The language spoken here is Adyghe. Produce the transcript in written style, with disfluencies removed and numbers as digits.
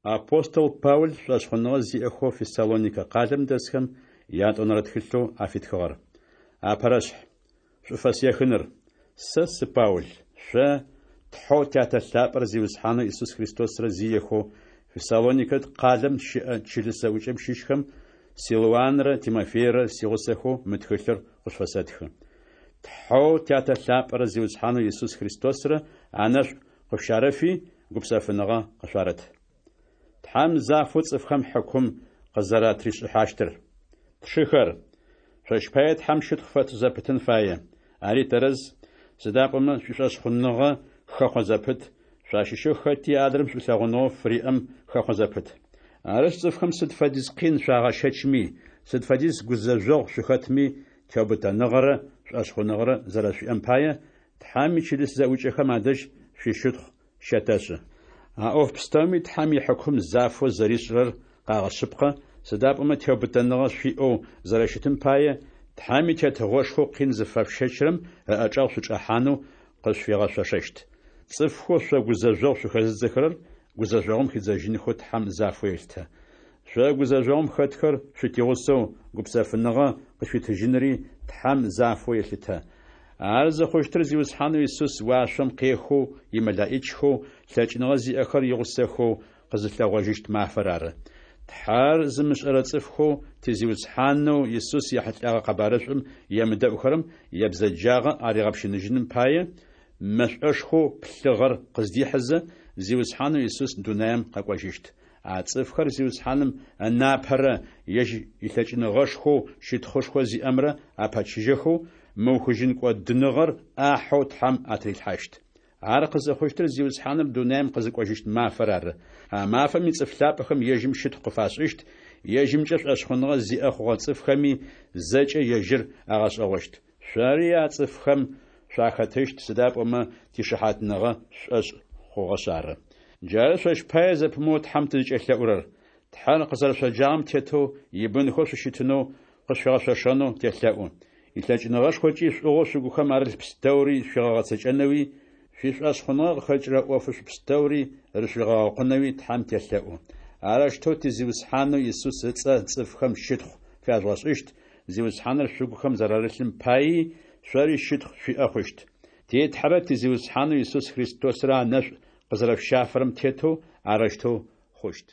Апостол Паул шӏошъхъуныгъэ зиӏэхэу Фессалоникэ къалэм дэсхэм ятӏонэрэ тхылъэу афитхыгъэр. Апэрэшъхь. Шӏуфэс ехыныр. Сэ сы Паул, шъо, Тхьэу Тятэ лъапӏэрэ Зиусхьанэу Исус Христосрэ зиехэу Фессалоникэ къалэм щыӏэ чылыс зэӏукӏэм щыщхэм Силуанрэ Тимофейрэ сигъусэхэу мы тхылъыр къышъуфэсэтхы. Тхьэу Тятэ лъапӏэрэ Зиусхьанэу Исус Христосрэ анэшӏу къышъущарэфи, гупсэфыныгъэ къышъуарэт. Тхьэм зафэу цӏыфхэм хьыкум къызэратришӏыхьащтыр. Тшыхэр, шъощ пае Тхьэм щытхъу фэтшӏ зэпытын фае. Ари тэрэз, сыда пӏомэ шъуишӏошъхъуныгъэ хэхъо зэпыт, шъуащыщэу хэти адрэм шӏулъэгъуныгъэу фыриӏэм хэхъо зэпыт. Арышъ, цӏыфхэм сыд фэдиз къин шъуагъэщэчми, сыд фэдиз гузэжъогъу шъухэтми, теубытэныгъэрэ шӏошъхъуныгъэрэ зэрэшъуиӏэм пае, Тхьэм ичылыс зэӏукӏэхэм адэжь шъуищытхъу щэтэшӏы. А ӏоф пстэуми Тхьэм ихьыкум зафэу зэришӏырэр къагъэшъыпкъэ, сыда пӏомэ теубытэныгъэ шъуиӏэу зэрэщытым пае, Тхьэм и Тетыгъошхоу къин зыфэшъущэчырэм ыӏэчӏэгъ шъучӏэхьанэу къышъуфигъэшъошэщт. Цӏыфхэу шъо гузэжъогъу шъухэзыдзэхэрэр гузэжъогъум хидзэжьынхэу Тхьэм зафэу елъытэ. Шъо гузэжъогъум хэтхэр шъутигъусэу гупсэфыныгъэ къышъуитыжьынри Тхьэм зафэу елъытэ. Ар зыхъущтыр Зиусхьанэу Исус уашъом къехэу имэлэӏичхэу лъэкӏыныгъэ зиӏэхэр игъусэхэу къызылъэгъожьыщт мафэр ары. Тхьэр зымышӏэрэ цӏыфхэу ти Зиусхьанэу Исус ехьылӏэгъэ къэбарышӏум емыдэӏухэрэм ябзэджагъэ аригъэпщыныжьыным пае, мэшӏошхоу плъыгъэр къыздихьызэ, Зиусхьанэу Исус дунаем къэкӏожьыщт. А цӏыфхэр Зиусхьаным ынапэрэ ежь илъэкӏыныгъэшхоу щытхъушхо зиӏэмрэ апэчыжьэхэу, мыухыжьын кӏодыныгъэр ӏахьэу Тхьэм атырилъхьащт. Ар къызыхъущтыр Зиусхьаныр дунаем къызыкӏожьыщт мафэр ары. А мафэм ицӏыф лъапӏэхэм ежьым щытхъу къыфашӏыщт, ежьымкӏэ шӏошъхъуныгъэ зиӏэ хъугъэ цӏыфхэми зэкӏэ ежьыр агъэшӏэгъощт. Шъори а цӏыфхэм шъуахэтыщт, сыда пӏомэ тишыхьатныгъэ шъушӏошъ хъугъэшъ ары. Джары шъощ пае зэпымыоу Тхьэм тызкӏелъэӏурэр. Тхьэр къызэрэшъоджагъэм тетэу ибынхэу шъущытынэу къышъуфигъэшъошэнэу телъэӏу. Илъэкӏыныгъэшхокӏи шӏугъэу шъугухэм арылъ пстэури шъуигъэгъэцэкӏэнэуи, шъуишӏошъхъуныгъэ къыхэкӏырэ ӏофышӏу пстэури рышъуигъэгъэкъунэуи Тхьэм телъэӏу. Арэущтэу ти Зиусхьанэу Исус ыцӏэ цӏыфхэм щытхъу фяжъугъэшӏыщт, Зиусхьаныр шъугухэм зэрарылъым паий шъори щытхъу шъуиӏэ хъущт. Ти Тхьэрэ ти Зиусхьанэу Исус Христосрэ анэшӏу къызэрэшъущафэрэм тетэу арэущтэу хъущт.